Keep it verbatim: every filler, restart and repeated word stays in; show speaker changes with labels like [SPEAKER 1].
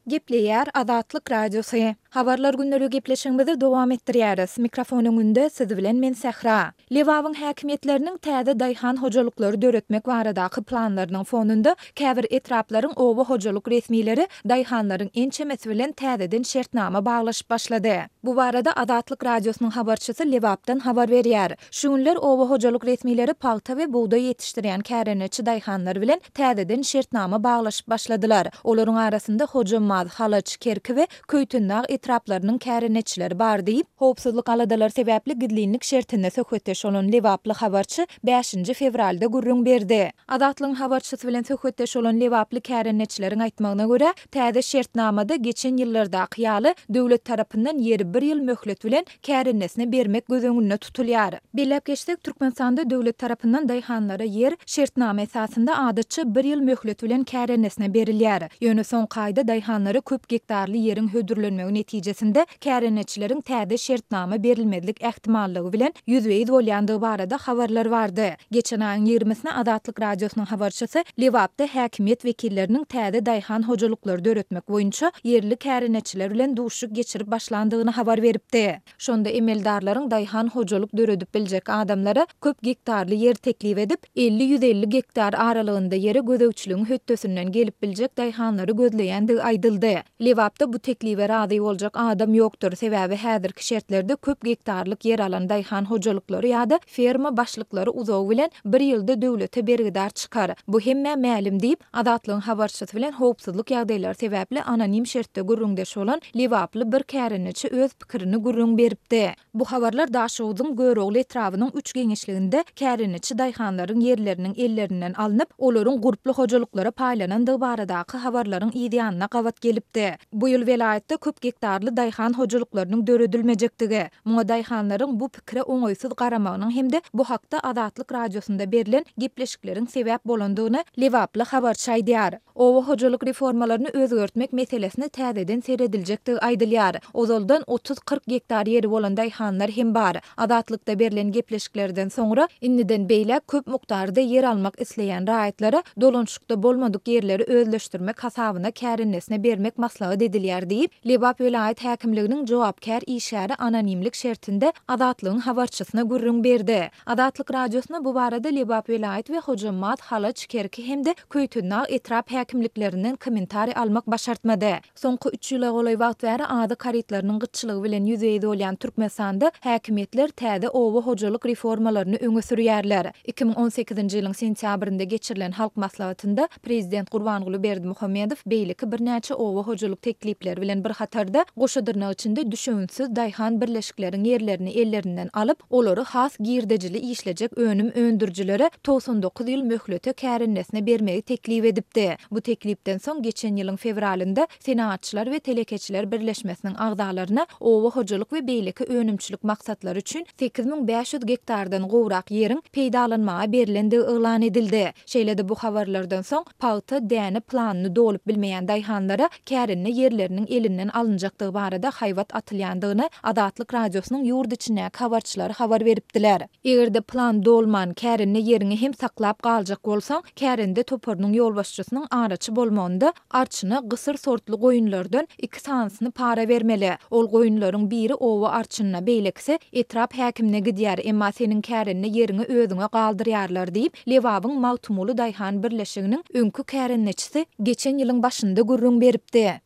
[SPEAKER 1] Gepleýär Azatlyk Radiosy. Habarlar gündeligi gepleşigimizi dowam etdirýäris. Mikrofon öňünde siz bilen men Sähra. Lebabyň häkimiýetleriniň täze daýhan hojalyklary döretmek baradaky planlarynyň fonunda käbir etraplaryň oba hojalyk resmileri daýhanlaryň ençemesi bilen täzeden şertnama baglaşyp başlady. Bu barada Azatlyk Radiosynyň habarçysy Lebapdan habar berýär. Şu günler oba hojalyk resmileri pagta we bugdaý ýetişdirýän kärendeçi daýhanlar bilen täzeden şertnama baglaşyp başladylar. Olaryň arasynda Hojambaz, Halaç, Kerki we Köýtendag etraplarynyň kärendeçileri bar diýip, howpsuzlyk aladalary sebäpli gizlinlik şertinde söhbetdeş bolan lebaply habarçy bäşinji fewralda gürrüň berdi. Azatlygyň habarçysy bilen söhbetdeş bolan lebaply kärendeçileriň aýtmagyna görä, täze şertnamada geçen ýyllardaky ýaly döwlet tarapyndan ýeri bir ýyl möhlet bilen kärendesine bermek göz öňünde tutulýar. Belläp geçsek, Türkmenistanda döwlet tarapyndan daýhanlara ýer şertnama esasynda adatça bir ýyl möhlet bilen kärendesine berilýär. Ýöne soňky aýda daýhanlara köp gektarly ýeriň hödürlenmegi netijesinde kärendeçileriň täze şertnama berilmezlik ähtimallygy bilen ýüzbe-ýüz bolýandygy barada habarlar bardy. Geçen aýyň ýigrimisine Azatlyk Radiosynyň habarçysy Lebapda häkimiýet wekilleriniň täze daýhan hojalyklary döretmek boýunça ýerli kärendeçiler bilen duşuşyk geçirip başlandygyny habar beripdi. Şonda emeldarlaryň daýhan hojalyk döredip biljek adamlara köp gektarly ýer teklip edip, elli-ýüz elli gektar aralygynda ýere gözegçiligiň hötdesinden gelip biljek daýhanlary gözleýändigi aýdyldy. Lebapda bu teklibe razy boljak adam ýokdur, sebäbi häzirki şertlerde köp gektarlyk ýer alan daýhan hojalyklary ýa-da ferma başlyklary uzagy bilen bir ýylda döwlete bergidar çykar. Bu hemmä mälim diýip, Azatlygyň habarçysy bilen howpsuzlyk ýagdaýlary sebäpli anonim şertde gürrüňdeş bolan lebaply bir kärendeçi öz pikirini gürrüň beripdi. Bu habarlar Daşoguzyň Görogly etrabynyň üç geňeşliginde kärendeçi daýhanlaryň ýerleriniň ellerinden alnyp, olaryň gurply hojalyklara paýlanandygy baradaky habarlaryň yz ýanyna gabat gelipdi. Bu ýyl welaýatda köp gektarly daýhan hojalyklarynyň döredilmejekdigi, muňa daýhanlaryň bu pikire oňaýsyz garamagynyň hem-de bu hakda Azatlyk Radiosynda berlen gepleşikleriň sebäp bolandygyny lebaply habarçy aýdýar. Oba hojalyk reformalaryny özgertmek meselesine täzeden serediljekdigi aýdylýar. Ozaldan otuz-kyrk gektar ýeri bolan daýhanlar hem bar. Azatlykda berlen gepleşiklerden soňra indiden beýläk köp mukdarda ýer almak isleýän raýatlara dolanyşykda bolmadyk ýerleri özleşdirmek hasabyna kärendesine bermek maslahat edilýär diýip, Lebap welaýat häkimliginiň jogapkär işgäri anonimlik şertinde Azatlygyň habarçysyna gürrüň berdi. Azatlyk Radiosyna bu barada Lebap welaýat we Hojambaz, Halaç, Kerki hem-de Köýtendag etrap häkimliklerinden kommentariý almak başartmady. Soňky üç ýyla golaý wagt bäri azyk harytlarynyň gytçylygy bilen ýüzbe-ýüz bolýan Türkmenistanda häkimiýetler täze oba hojalyk reformalaryny öňe sürýärler. Iki müň on sekizinji ýylyň sentýabrynda geçirilen Halk maslahatynda prezident Gurbanguly Berdimuhamedow beýleki birnäçe oba hojalyk teklipleri bilen bir hatarda goşa dyrnak içinde düşewüntsiz daýhan birleşikleriň ýerlerini ellerinden alyp, olary has girdejili işlejek önüm öndürijilere togsan dokuz ýyl möhlete kärendesine bermegi teklip edipdi. Bu teklipden soň geçen ýylyň fewralynda Senagatçylar we telekeçiler birleşmesiniň agzalaryna oba hojalyk we beýleki önümçilik maksatlary üçin sekiz müň bäş ýüz gektardan gowrak ýeriň peýdalanmaga berlendigi yglan edildi. Şeýle-de bu habarlardan soň pagta däne planyny dolup bilmeýän daýhanlara kärende ýerleriniň elinden alynjakdygy barada haýbat atylýandygyny Azatlyk Radiosynyň ýurt içindäki habarçylary habar beripdiler. Eger-de plan dolman, kärende ýeriňi hem saklap galjak bolsaň, kärende toparynyň ýolbaşçysynyň araçy bolmagynda arçyna gysyr sortly goýunlardan iki sanysyny para bermeli. Ol goýunlaryň biri oba arçynyna, beýlekisi etrap häkimine gidýär, emma seniň kärende ýeriňi özüňe galdyrýarlar diýip, Lebabyň Magtymguly daýhan birleşiginiň öňki kärendeçisi geçen ýylyň başynda gürrüň beripdi.